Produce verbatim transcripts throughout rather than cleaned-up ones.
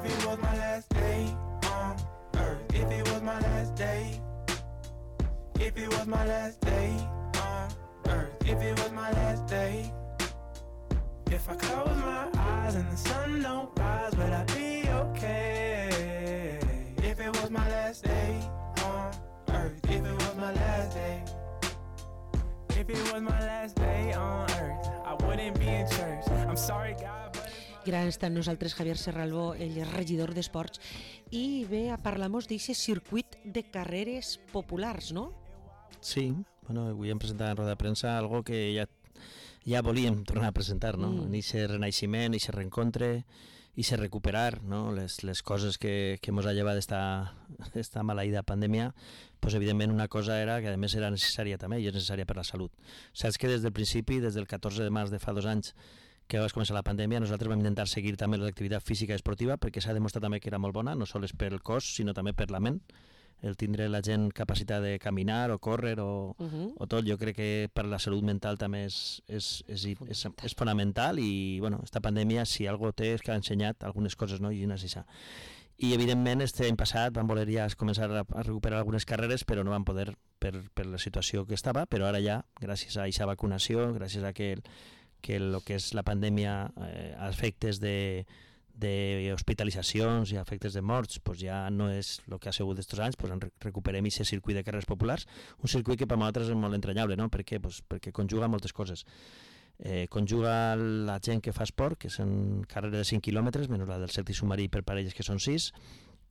If it was my last day on earth, if it was my last day, if it was my last day on earth, if it was my last day. If I close my eyes and the sun don't rise, will I be okay? If it was my last day on earth, if it was my last day, if it was my last day on earth, I wouldn't be in church. I'm sorry God, but Gran està amb nosaltres Javier Serralbó, ell és regidor d'Esports, i ve a parlar-nos d'aquest circuit de carreres populars, no? Sí, bueno, avui hem presentat en roda de premsa algo que ja, ja volíem tornar a presentar, no? Mm. En aquest renaixement, aquest reencontre, aquest recuperar, no? les, les coses que, que ens ha llevat d'esta maleïda pandèmia, pues evidentment una cosa era que a més era necessària també i és necessària per la salut. Saps que des del principi, des del catorze de març de fa dos anys, que va començar la pandèmia, nosaltres vam intentar seguir també l'activitat física i esportiva perquè s'ha demostrat també que era molt bona, no sols per el cos, sinó també per la ment. El tindre la gent capacitat de caminar o córrer o, uh-huh. o tot, jo crec que per la salut mental també és, és, és, és, és fonamental i, bueno, esta pandèmia, si algo té, és que ha ensenyat algunes coses, no? I una és això. I, evidentment, este any passat vam voler ja començar a recuperar algunes carreres, però no vam poder per, per la situació que estava, però ara ja, gràcies a aquesta vacunació, gràcies a que el, que el que és la pandèmia, eh, efectes de d'hospitalitzacions i efectes de morts, pues ja no és el que ha sigut d'estos anys, pues recuperem aquest circuit de carreres populars, un circuit que per nosaltres és molt entranyable, no? Per què? Pues perquè conjuga moltes coses. Eh, conjuga la gent que fa esport, que són carreres de cinc quilòmetres, menys la del Celtic submarí per parelles, que són sis,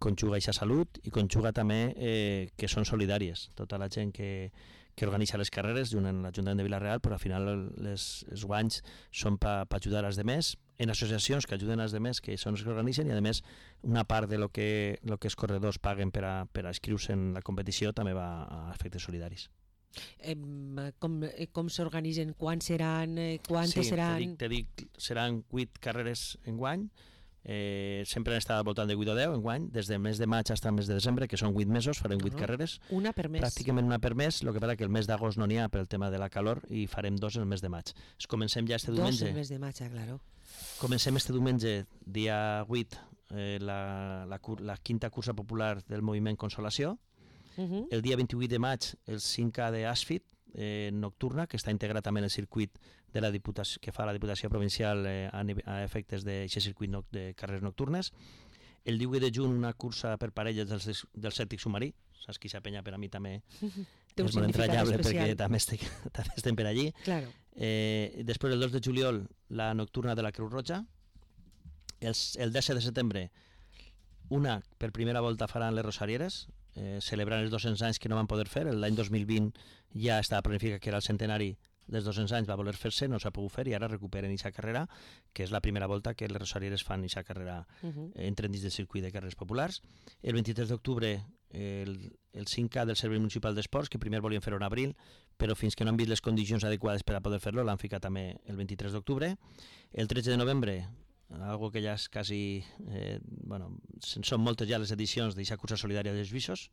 conjuga aquesta salut i conjuga també eh, que són solidàries. Tota la gent que, que organitza les carreres, junt amb l'Ajuntament de Vila-real, però al final les, els guanys són per pa ajudar als demés, en associacions que ajuden als demés, que són els que organitzen, i a més una part de lo que, lo que els corredors paguen per a, per a inscriure-se en la competició també va a efectes solidaris. Eh, com com s'organitzen? Quan seran? Eh, quantes sí, seran? Sí, te dic, te dic, seran vuit carreres en guany. Eh, sempre han estat al voltant de vuit o deu en guany, des del mes de maig fins al mes de desembre, que són vuit mesos, farem vuit uh-huh. carreres. Una per mes. Pràcticament una per mes, el que passa que el mes d'agost no n'hi ha per el tema de la calor i farem dos el mes de maig. Es comencem ja este diumenge. Dos el mes de maig, claro. Comencem este diumenge, dia vuit, eh, la, la, la quinta cursa popular del moviment Consolació. Uh-huh. El dia vint-i-vuit de maig, el cinc K de Asfit, eh, nocturna, que està integrat també en el circuit de la Diputació, que fa la Diputació Provincial eh, a, a efectes d'aquest circuit no, de carreres nocturnes. El divuit de juny, una cursa per parelles del, del Celtic submarí. Saps que aquesta penya per a mi també és molt entranyable perquè també, estic, també estem per allí. Claro. Eh, després, el dos de juliol, la nocturna de la Creu Roja. El, el disset de setembre, una per primera volta faran les Rosarieres, eh, celebrant els dos-cents anys que no van poder fer. L'any dos mil vint ja estava planificat que era el centenari dels dos-cents anys, va voler fer-se, no s'ha pogut fer i ara recuperen aquesta carrera, que és la primera volta que les Rosarieres fan aquesta carrera, uh-huh. eh, entren dins del circuit de carreres populars. El vint-i-tres d'octubre, el, el cinc K del Servei Municipal d'Esports, que primer volien fer-ho en abril, però fins que no han vist les condicions adequades per a poder fer-lo, l'han ficat també el vint-i-tres d'octubre. El tretze de novembre, algo que ja és quasi, eh, bueno, són moltes ja les edicions d'aquesta cursa solidària dels Visos,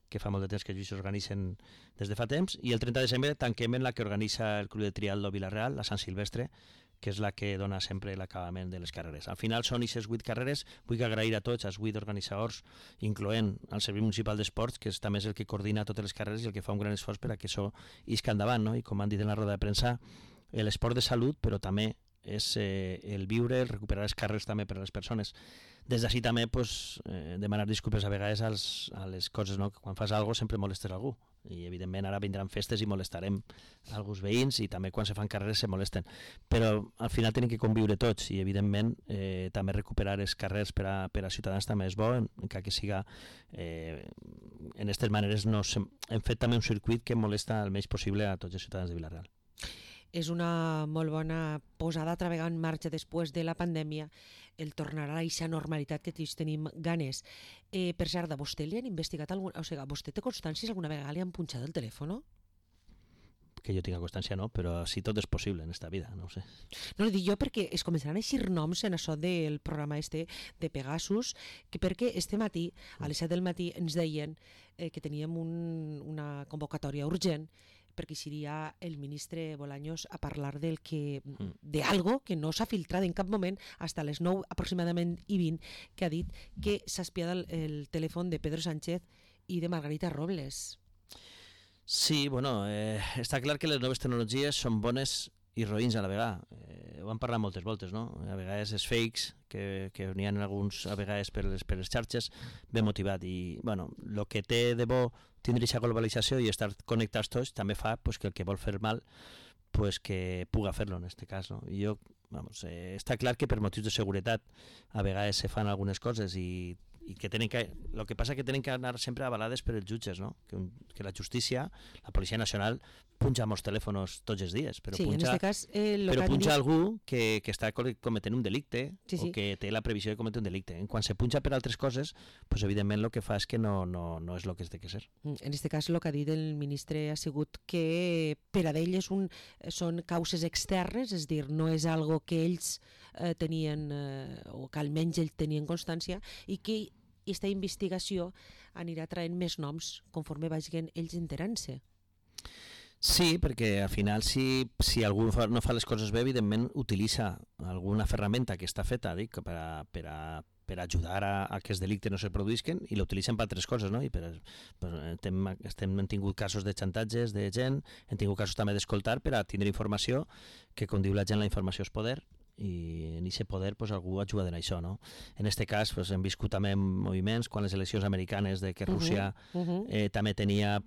que fa molt de temps que els Visos organitzen des de fa temps, i el trenta de desembre tanquem en la que organitza el Club de Triatlo Vila-real, la Sant Silvestre, que és la que dona sempre l'acabament de les carreres. Al final són aquestes vuit carreres. Vull agrair a tots, als vuit organitzadors, incloent el Servei Municipal d'Esports, que és també és el que coordina totes les carreres i el que fa un gran esforç per a que això isca endavant, no? I com han dit en la roda de premsa, l'esport de salut, però també és eh, el viure, el recuperar els carrers també per a les persones. Des d'ací també pues, eh, demanar disculpes a vegades als, a les coses, no? Que quan fas alguna cosa sempre molestes algú, i evidentment ara vindran festes i molestarem alguns veïns, i també quan se fan carreres se molesten, però al final tenen que conviure tots, i evidentment eh, també recuperar els carrers per a, per a ciutadans també és bo, encara que siga eh, en aquestes maneres no, hem fet també un circuit que molesta el menys possible a tots els ciutadans de Vila-real. És una molt bona posada a treballar en marxa després de la pandèmia, el tornar a aquesta normalitat que tots tenim ganes. Eh, per cert, a vostè li han investigat algun... O sigui, vostè té constància si alguna vegada li han punxat el telèfon? Que jo tinc constància no, però si tot és possible en esta vida, no ho sé. No, li dic jo perquè es començaran a eixir noms en això del programa este de Pegasus, que perquè este matí, a les set del matí, ens deien eh, que teníem un, una convocatòria urgent perquè seria el ministre Bolaños a parlar del que, de algo que no s'ha filtrat en cap moment fins a les nou aproximadament i vint, que ha dit que s'ha espiat el, el telèfon de Pedro Sánchez i de Margarita Robles. Sí, bueno, eh, està clar que les noves tecnologies són bones i roïns a la vegada. Eh, ho han parlat moltes voltes, no? A vegades és fakes, que, que n'hi ha alguns a vegades per les, per les xarxes, ben motivat. I, bueno, el que té de bo tindre aquesta globalització i estar connectats tots també fa pues, que el que vol fer mal pues, que puga fer-lo en aquest cas, no? I jo, vamos, eh, està clar que per motius de seguretat a vegades se fan algunes coses i i que tenen que, el que passa que tenen que anar sempre avalades per els jutges, no? Que, un, que la justícia, la Policia Nacional, punja molts telèfons tots els dies, però sí, punja, en este cas, eh, però punja dit... algú que, que està cometent un delicte sí, sí. o que té la previsió de cometre un delicte. Quan se punja per altres coses, pues, evidentment el que fa és que no, no, no és el que es té que ser. En aquest cas, el que ha dit el ministre ha sigut que per a ell és un, són causes externes, és dir, no és algo que ells eh, tenien, eh, o que almenys ells tenien constància, i que aquesta investigació anirà traient més noms conforme vagin ells enterant-se. Sí, perquè al final si, si algú fa, no fa les coses bé, evidentment utilitza alguna ferramenta que està feta dic, per, a, per, a, per ajudar a, a que els delictes no se produïsquen i l'utilitzen per altres coses, no? I per, per, estem, estem, hem tingut casos de xantatges de gent, hem tingut casos també d'escoltar per a tindre informació, que com diu la gent la informació és poder, i en aquest poder pues, algú ajuda en això, no? En aquest cas pues, hem viscut també moviments quan les eleccions americanes de que Rússia uh -huh, uh -huh. Eh, també tenia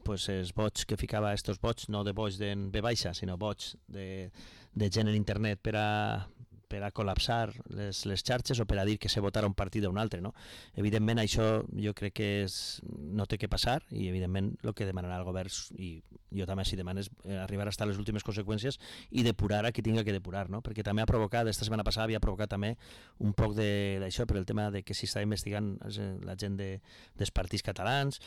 pues, els bots que ficava, estos bots no de bots de B baixa, sinó bots de, de gent en internet per a per a col·lapsar les, les xarxes o per a dir que se votara un partit o un altre, no? Evidentment això jo crec que és, no té que passar i evidentment el que demanarà el govern i jo també si demanes arribar a les últimes conseqüències i depurar a qui tinga que depurar, no? Perquè també ha provocat, esta setmana passada havia provocat també un poc d'això per el tema de que si està investigant la gent de, dels partits catalans.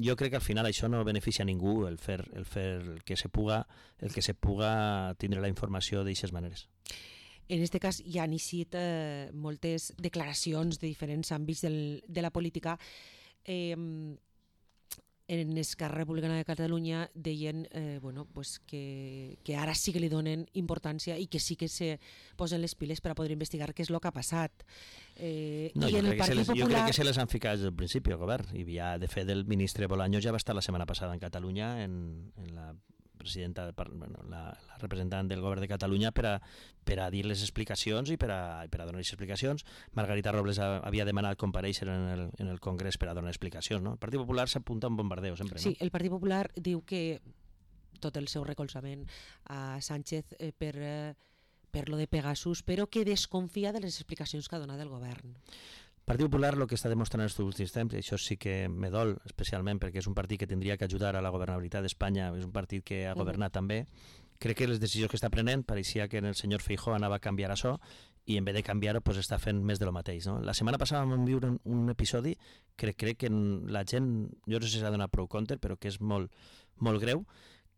Jo crec que al final això no beneficia a ningú el fer, el fer el que se puga, el que se puga tindre la informació d'aquestes maneres. En aquest cas hi ha iniciat eh, moltes declaracions de diferents àmbits del, de la política. Eh, en Esquerra Republicana de Catalunya deien eh, bueno, pues que, que ara sí que li donen importància i que sí que se posen les piles per a poder investigar què és el que ha passat. Eh, no, i jo, en crec el Partit les, Popular... jo crec que se les han ficat des del principi al govern. I ja, de fet, el ministre Bolaños ja va estar la setmana passada en Catalunya en, en la presidenta, bueno, la, la representant del govern de Catalunya per a, per a dir les explicacions i per a, per a donar les explicacions. Margarita Robles ha, havia demanat comparèixer en el, en el Congrés per a donar explicacions, no? El Partit Popular s'apunta a un bombardeo sempre, no? Sí, el Partit Popular diu que tot el seu recolzament a Sánchez eh, per, eh, per lo de Pegasus, però que desconfia de les explicacions que ha donat el govern. El Partit Popular el que està demostrant en els últims temps, i això sí que me dol especialment perquè és un partit que tindria que ajudar a la governabilitat d'Espanya, és un partit que ha governat uh -huh. també, crec que les decisions que està prenent pareixia que el senyor Feijóo anava a canviar això i en vez de canviar-ho pues, està fent més de lo mateix. No? La setmana passada vam viure un, un episodi que crec que la gent, jo no sé si s'ha donat prou compte, però que és molt, molt greu,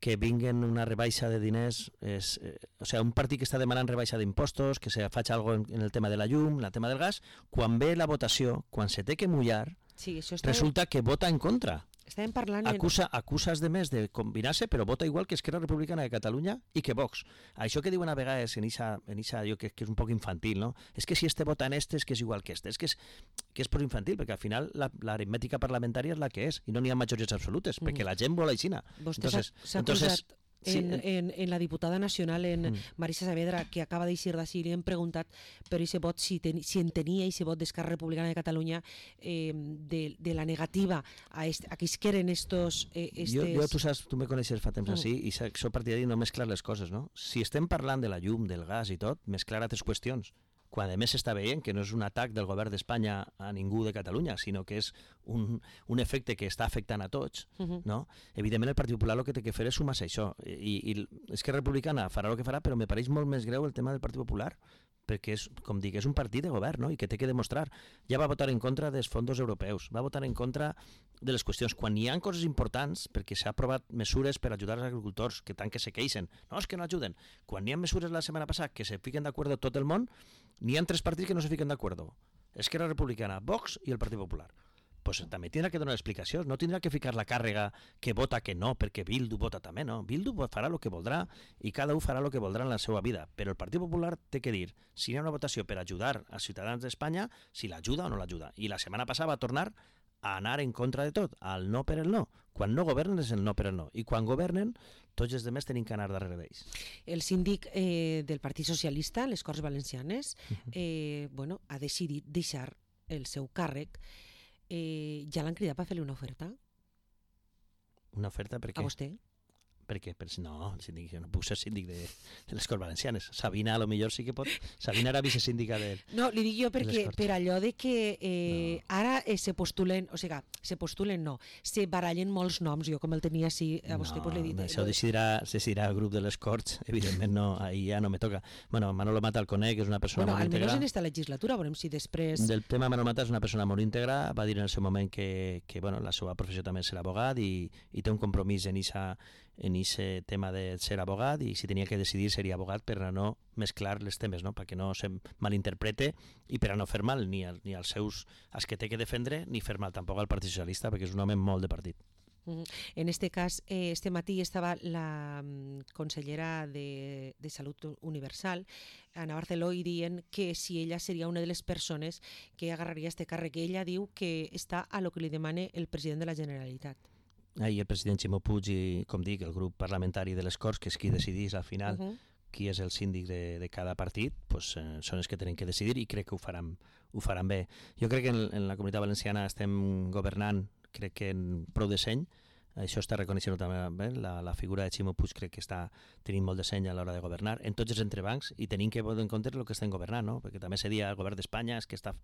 que vinguen una rebaixa de diners, és, eh, o sigui, un partit que està demanant rebaixa d'impostos, que se faci alguna cosa en el tema de la llum, en el tema del gas, quan ve la votació, quan se té que mullar, sí, això està... resulta que vota en contra. Estàvem parlant... Acusa, acusa els demés de combinar-se, però vota igual que Esquerra Republicana de Catalunya i que Vox. Això que diuen a vegades en ixa, en ixa jo que, que és un poc infantil, no? És que si este vota en este és que és igual que este. És que és, que és prou infantil, perquè al final l'aritmètica parlamentària és la que és i no n'hi ha majories absolutes, mm. perquè la gent vol aixina. Vostè s'ha posat... Sí. En, en, en la diputada nacional, en mm. Marisa Saavedra, que acaba d'eixir d'ací, li hem preguntat per aquest vot, si, ten, si entenia aquest vot d'Esquerra Republicana de Catalunya eh, de, de la negativa a, est, a que es queren estos... Eh, estes... Jo, jo, tu saps, tu me coneixes fa temps mm. així, i soc partidari de no mesclar les coses, no? Si estem parlant de la llum, del gas i tot, mesclar altres qüestions. Quan a més s'està veient que no és un atac del govern d'Espanya a ningú de Catalunya, sinó que és un, un efecte que està afectant a tots, uh -huh. no? Evidentment el Partit Popular el que té que fer és sumar-se a això. I, i Esquerra Republicana farà el que farà, però me pareix molt més greu el tema del Partit Popular, perquè és, com dic, és un partit de govern, no? I que té que demostrar. Ja va votar en contra dels fons europeus, va votar en contra de les qüestions. Quan hi ha coses importants, perquè s'ha aprovat mesures per ajudar els agricultors, que tant que se queixen, no, és que no ajuden. Quan hi ha mesures la setmana passada que se fiquen d'acord tot el món, n'hi ha tres partits que no se fiquen d'acord. Esquerra Republicana, Vox i el Partit Popular. pues també tindrà que donar explicacions, no tindrà que ficar la càrrega que vota que no, perquè Bildu vota també, no. Bildu farà el que voldrà i cada un farà el que voldrà en la seva vida, però el Partit Popular té que dir si hi ha una votació per ajudar als ciutadans d'Espanya, si l'ajuda o no l'ajuda. I la setmana passada va tornar a anar en contra de tot, al no per el no. Quan no governen és el no per el no. I quan governen, tots els demés tenim que anar darrere d'ells. El síndic eh, del Partit Socialista, les Corts Valencianes, eh, bueno, ha decidit deixar el seu càrrec. Eh, ja l'han cridat per fer-li una oferta? Una oferta per què? A vostè? Per què? Per, no, el síndic, jo no puc ser síndic de, de les Corts Valencianes. Sabina a lo millor sí que pot. Sabina era vicesíndica de... No, li dic jo perquè per allò de que eh, no. ara eh, se postulen, o sigui, se postulen no, se barallen molts noms, jo com el tenia així, a vostè no, pues, l'he dit. Això ho decidirà, decidirà el grup de les Corts, evidentment no, ahí ja no me toca. Bueno, Manolo Mata el conec, és una persona bueno, molt íntegra. Bueno, almenys en esta legislatura, veurem si després... Del tema Manolo Mata és una persona molt íntegra, va dir en el seu moment que, que bueno, la seva professió també és ser abogat i, i té un compromís en esa en ese tema de ser abogat i si tenia que decidir seria abogat per a no mesclar les temes, no? Perquè no se malinterprete i per a no fer mal ni, al, ni als seus als que té que defendre ni fer mal tampoc al Partit Socialista perquè és un home molt de partit. Uh-huh. En este cas, eh, este matí estava la um, consellera de, de Salut Universal, Ana Barceló, i dient que si ella seria una de les persones que agarraria este càrrec. Ella diu que està a lo que li demane el president de la Generalitat. Ahir el president Ximo Puig i, com dic, el grup parlamentari de les Corts, que és qui decidís al final uh-huh. qui és el síndic de, de cada partit, pues, eh, són els que tenen que decidir i crec que ho faran, ho faran bé. Jo crec que en, en la Comunitat Valenciana estem governant, crec que en prou de seny, això està reconeixent també bé, la, la figura de Ximo Puig crec que està tenint molt de seny a l'hora de governar en tots els entrebancs i tenim que tenir en compte el que estem governant, no? Perquè també se dia el govern d'Espanya és que està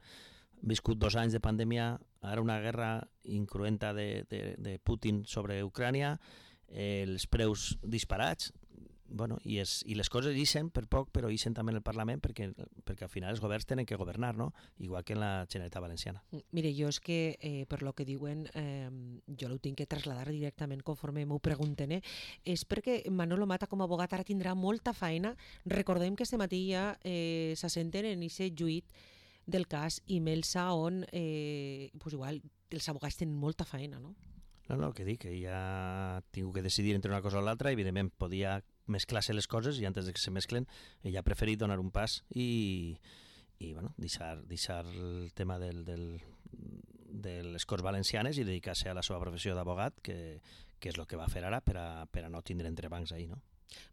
viscut dos anys de pandèmia, ara una guerra incruenta de, de, de Putin sobre Ucrània, eh, els preus disparats, bueno, i, es, i les coses ixen per poc, però ixen també en el Parlament perquè, perquè al final els governs tenen que governar, no? Igual que en la Generalitat Valenciana. Mire, jo és que, eh, per lo que diuen, eh, jo ho tinc que trasladar directament conforme m'ho pregunten, eh? És perquè Manolo Mata com a abogat ara tindrà molta feina. Recordem que este matí ja eh, s'assenten en aquest juït del cas Imelsa on eh, pues igual els abogats tenen molta feina, no? No, no, el que dic, que ja ha tingut que decidir entre una cosa o l'altra, evidentment podia mesclar-se les coses i antes de que se mesclen ella ha preferit donar un pas i, i bueno, deixar, deixar el tema del, del, de les Corts Valencianes i dedicar-se a la seva professió d'abogat, que, que és el que va fer ara per a, per a no tindre entrebancs ahí, no?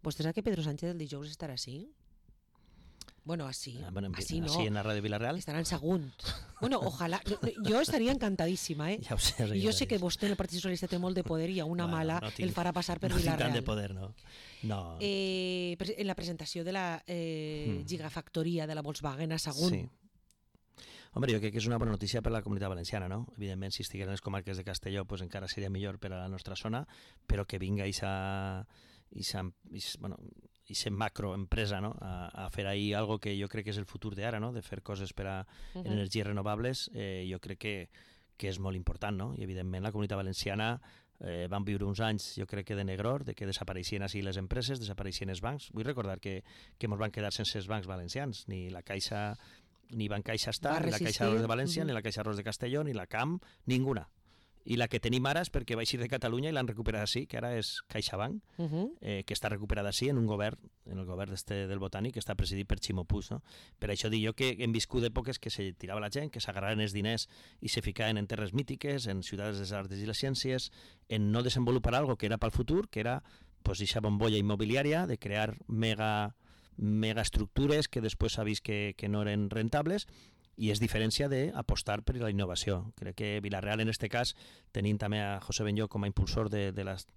Vostè sap que Pedro Sánchez el dijous estarà així? Bueno, así, ah, bueno, así no. Así en la radio Villarreal. Estarà en Sagunt. Bueno, ojalà. Jo estaria encantadíssima, eh? Ja ho sé, jo sé que vostè en el Partit Socialista té molt de poder i a una bueno, mala no tinc, el farà passar per no Villarreal. No tinc tant de poder, no. no. Eh, en la presentació de la eh, mm. gigafactoria de la Volkswagen a Sagunt. Sí. Home, jo crec que és una bona notícia per a la Comunitat Valenciana, no? Evidentment, si estigués en les comarques de Castelló, pues encara seria millor per a la nostra zona, però que vinga aquesta bueno, macroempresa, no? a, a fer ahir algo que jo crec que és el futur d'ara, no? De fer coses per a uh-huh. energies renovables, eh, jo crec que, que és molt important, no? I evidentment la Comunitat Valenciana eh, van viure uns anys, jo crec que de negror, de que desapareixien així les empreses, desapareixien els bancs. Vull recordar que, que ens van quedar sense els bancs valencians, ni la Caixa, ni Bancaixa Estat, ni la Caixa Ros de València, uh-huh. ni la Caixa Ros de Castelló, ni la C A M, ninguna. I la que tenim ara és perquè va eixir de Catalunya i l'han recuperat així, que ara és CaixaBank, uh-huh. eh, que està recuperada així en un govern, en el govern este del Botànic, que està presidit per Ximo Puig, no? Per això dic jo que hem viscut èpoques que se tirava la gent, que s'agarraven els diners i se ficaven en terres mítiques, en ciutats de les arts i les ciències, en no desenvolupar algo que era pel futur, que era pues, eixa bombolla immobiliària, de crear mega, mega estructures que després s'ha vist que, que no eren rentables, i és diferència d'apostar per la innovació. Crec que Villarreal, en aquest cas, tenim també a José Benllo com a impulsor de, de les,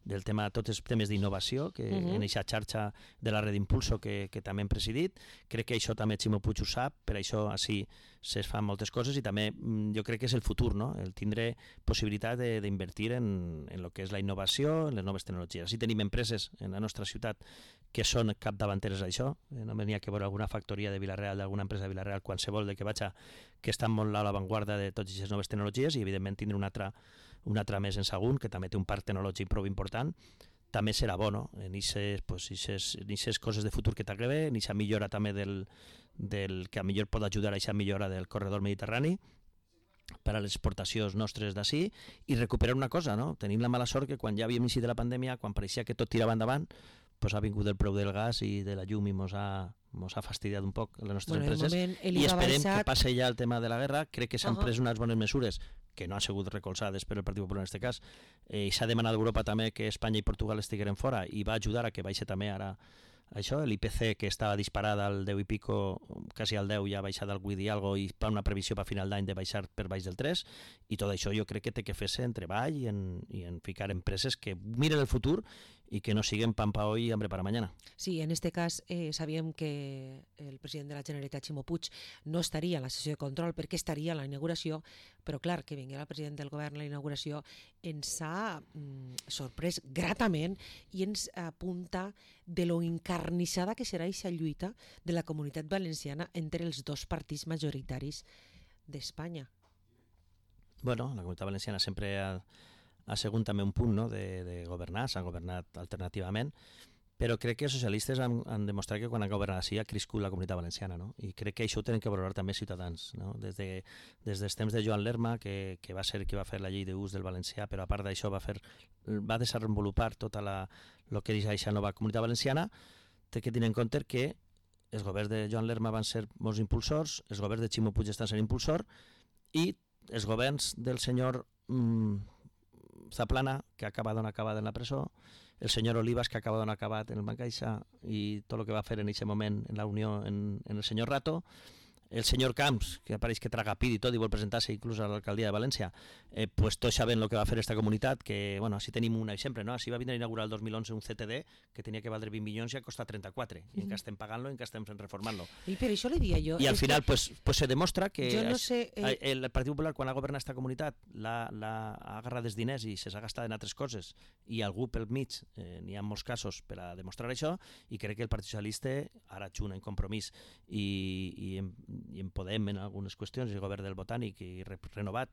del tema, tots els temes d'innovació, que uh-huh. en aquesta xarxa de la red Impulso que, que també hem presidit. Crec que això també Ximo Puig ho sap, per això així se fan moltes coses i també jo crec que és el futur, no? El tindre possibilitat d'invertir en, en el que és la innovació, en les noves tecnologies. Així tenim empreses en la nostra ciutat que són capdavanteres d'això. No m'hi ha que veure alguna factoria de Villarreal, d'alguna empresa de Villarreal, qualsevol de que vaig a, que estan molt a l'avantguarda de totes aquestes noves tecnologies i evidentment tindre una altra, una altra més en Sagunt, que també té un parc tecnològic prou important, també serà bo, no? En aquestes pues, coses de futur que t'agrada, en aquesta millora també del, del que a millor pot ajudar a aquesta millora del corredor mediterrani per a les exportacions nostres d'ací i recuperar una cosa, no? Tenim la mala sort que quan ja havíem iniciat la pandèmia, quan pareixia que tot tirava endavant, pues ha vingut el preu del gas i de la llum i mos ha, mos ha fastidiat un poc les nostres Bueno, de empreses moment, el i I V A esperem baixat. que passe ja el tema de la guerra. Crec que s'han Ahà. pres unes bones mesures que no han sigut recolzades per el Partit Popular en aquest cas, eh, i s'ha demanat a Europa també que Espanya i Portugal estigueren fora i va ajudar a que baixi també ara això, l'I P C que estava disparat al deu i pico, quasi al deu, ja ha baixat al vuit i algo i fa una previsió per final d'any de baixar per baix del tres, i tot això jo crec que té que fer-se en treball i en, i en ficar empreses que miren el futur i que no siguen pan pa hoy y hambre para mañana. Sí, en este cas eh, sabíem que el president de la Generalitat, Ximo Puig, no estaria a la sessió de control perquè estaria a la inauguració, però clar, que vingués el president del govern a la inauguració ens ha mm, sorprès gratament i ens apunta de lo encarnissada que serà aquesta lluita de la comunitat valenciana entre els dos partits majoritaris d'Espanya. Bueno, la comunitat valenciana sempre ha, ha sigut també un punt, no?, de, de governar, s'han governat alternativament, però crec que els socialistes han, han demostrat que quan han governat així ha crescut la comunitat valenciana, no? I crec que això ho tenen que valorar també ciutadans, no? Des, de, des dels temps de Joan Lerma, que, que va ser qui va fer la llei d'ús del valencià, però a part d'això va, fer, va desenvolupar tota la, el que és aquesta nova comunitat valenciana, té que tenir en compte que els governs de Joan Lerma van ser molts impulsors, els governs de Ximo Puig estan sent impulsor, i els governs del senyor mmm, Zaplana, que acaba d'on acabat en la presó, el senyor Olivas, que acaba d'on acabat en el Banc Caixa, i tot el que va fer en aquest moment en la Unió en, en el senyor Rato, el senyor Camps, que apareix que traga pit i tot i vol presentar-se inclús a l'alcaldia de València, eh, pues tots sabem el que va fer aquesta comunitat, que, bueno, així tenim un exemple, no? Així va vindre a inaugurar el dos mil onze un C T D que tenia que valdre vint milions i ha costat trenta-quatre, i encara estem pagant-lo i encara estem reformant-lo. I per això li dia jo... I al final, pues, pues se demostra que jo no sé, eh... el Partit Popular, quan ha governat aquesta comunitat, l'ha, l'ha ha agarrat els diners i se s'ha gastat en altres coses, i algú pel mig, eh, n'hi ha molts casos per a demostrar això, i crec que el Partit Socialista, ara junt en Compromís i, i, en, i en Podem en algunes qüestions, el govern del Botànic i re, renovat,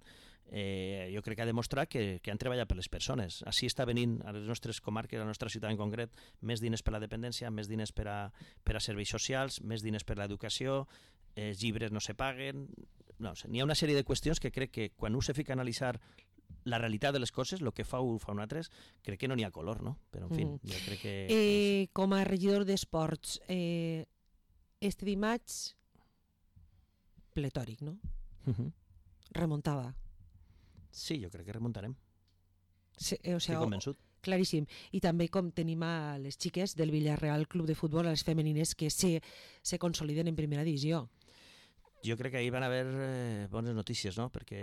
eh, jo crec que ha demostrat que, que han treballat per les persones. Així està venint a les nostres comarques, a la nostra ciutat en concret, més diners per a la dependència, més diners per a, per a serveis socials, més diners per a l'educació, eh, els llibres no se paguen... No, n'hi ha una sèrie de qüestions que crec que quan un se fica a analitzar la realitat de les coses, el que fa un fa un altre, crec que no n'hi ha color, no? Però, en fi, mm. jo crec que... Eh, com a regidor d'esports, eh, este dimarts pletòric, no? Uh-huh. Remuntada. Sí, jo crec que remuntarem. Sí, o Estic sea, convençut. Claríssim. I també com tenim a les xiques del Villarreal Club de Futbol, a les femenines, que se, se consoliden en primera divisió. Jo crec que ahir van haver eh, bones notícies, no? Perquè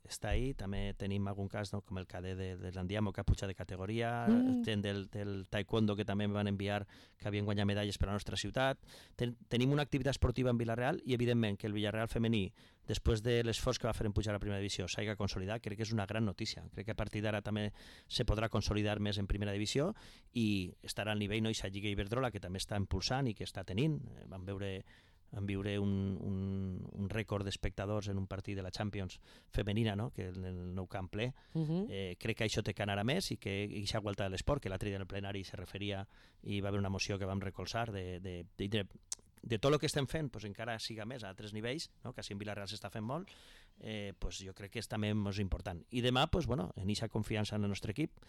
està ahí, també tenim algun cas, no? Com el cadet de, de l'Andiamo, que ha pujat de categoria, mm. gent del, del taekwondo que també van enviar, que havien guanyat medalles per a la nostra ciutat. Ten, tenim una activitat esportiva en Villarreal i, evidentment, que el Villarreal femení, després de l'esforç que va fer en pujar a la primera divisió, s'hagi consolidat, crec que és una gran notícia. Crec que a partir d'ara també se podrà consolidar més en primera divisió i estarà al nivell, no? Ixa Lliga Iberdrola, que també està impulsant i que està tenint. Vam veure... en viure un, un, un rècord d'espectadors en un partit de la Champions femenina, no? Que en el nou camp ple. Uh-huh. eh, crec que això té que anar a més i que aquesta vuelta de l'esport, que l'altre dia en el plenari se referia i va haver una moció que vam recolzar de, de, de, de, de tot el que estem fent, pues, encara siga més a altres nivells, no? Que així en Vilareal s'està fent molt, eh, pues, jo crec que és també molt important. I demà, pues, bueno, en aquesta confiança en el nostre equip,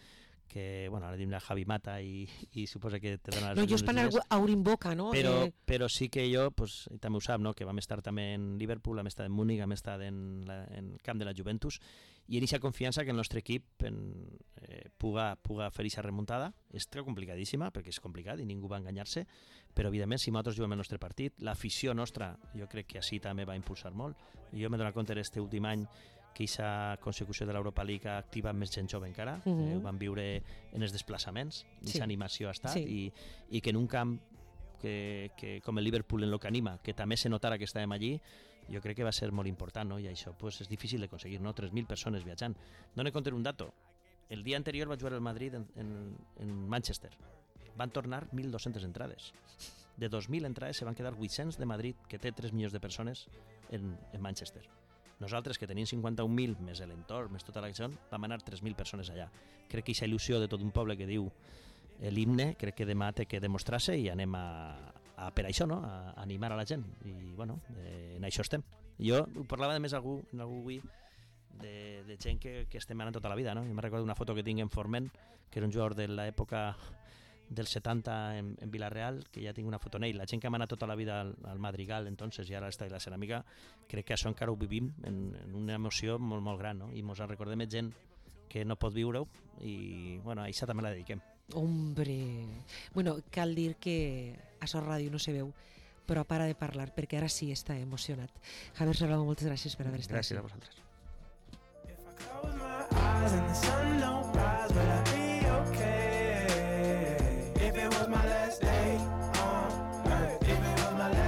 que, bueno, ara diuen a Javi Mata i, i suposa que te dona... No, jo és per anar a obrir boca, no? Però, eh... però sí que jo, pues, també ho sap, no? Que vam estar també en Liverpool, vam estar en Múnich, vam estar en, la, en el camp de la Juventus, i en aquesta confiança que el nostre equip en, eh, puga, puga fer aquesta remuntada. És complicadíssima, perquè és complicat i ningú va enganyar-se, però evidentment si nosaltres juguem el nostre partit, l'afició nostra jo crec que així també va impulsar molt. I jo m'he donat compte aquest últim any que aquesta consecució de l'Europa League ha activat més gent jove encara, uh -huh. eh, ho van viure en els desplaçaments, aquesta sí. animació ha estat, sí. i, i que en un camp que, que, com el Liverpool en el que anima, que també se notara que estàvem allí, jo crec que va ser molt important, no? I això pues, és difícil de aconseguir, no? tres mil persones viatjant. Dóna compte un dato, el dia anterior va jugar el Madrid en, en, en Manchester, van tornar mil dos-centes entrades. De dos mil entrades se van quedar vuit-cents de Madrid, que té tres milions de persones en, en Manchester. Nosaltres, que tenim cinquanta-un mil, més l'entorn, més tota la gent, vam anar tres mil persones allà. Crec que aquesta il·lusió de tot un poble que diu l'himne, crec que demà té que demostrar-se i anem a, a per això, no? A animar a la gent. I, bueno, eh, en això estem. Jo ho parlava de més algú, en algú avui, de, de gent que, que estem anant tota la vida, no? Jo me recordo una foto que tinc en Forment, que era un jugador de l'època del setanta en, en Villarreal, que ja tinc una foto en ell. La gent que m'ha anat tota la vida al, al Madrigal, entonces, i ara està a la Ceràmica, crec que això encara ho vivim en, en una emoció molt, molt gran, no? I mos en recordem gent que no pot viure-ho i, bueno, a això també la dediquem. Hombre, bueno, cal dir que a Sort Ràdio no se veu, però para de parlar perquè ara sí està emocionat. Javier Serrano, moltes gràcies per haver estat. Gràcies a vosaltres. If I close my eyes and the sun don't